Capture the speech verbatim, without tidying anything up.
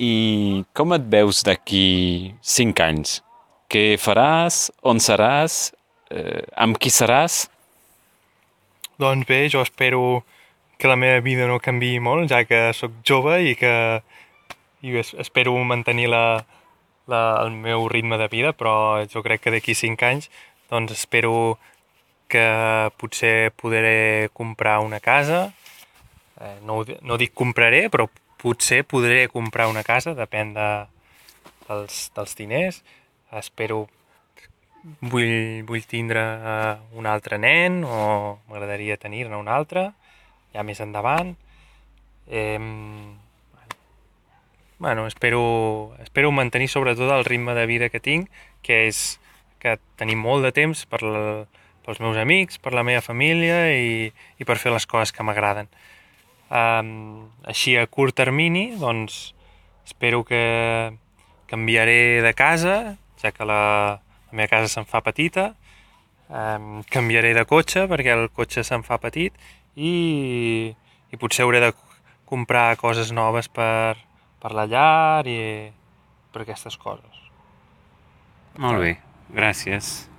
i com et veus d'aquí cinc anys? Què faràs? On seràs? Eh, amb qui seràs? Doncs bé, jo espero que la meva vida no canviï molt, ja que sóc jove i que i espero mantenir la, la, el meu ritme de vida, però jo crec que d'aquí cinc anys doncs espero que potser podré comprar una casa. Eh, no, no dic compraré, però potser podré comprar una casa, depèn de, dels, dels diners. Espero, vull, vull tindre un altre nen, o m'agradaria tenir-ne un altre, ja més endavant. Eh, bueno, espero, espero mantenir sobretot el ritme de vida que tinc, que és que tenim molt de temps per la, pels meus amics, per la meva família i, i per fer les coses que m'agraden. Um, així a curt termini, doncs espero que canviaré de casa, ja que la, la meva casa se'n fa petita. Um, canviaré de cotxe perquè el cotxe se'n fa petit i, i potser hauré de comprar coses noves per, per la llar i per aquestes coses. Molt bé, gràcies.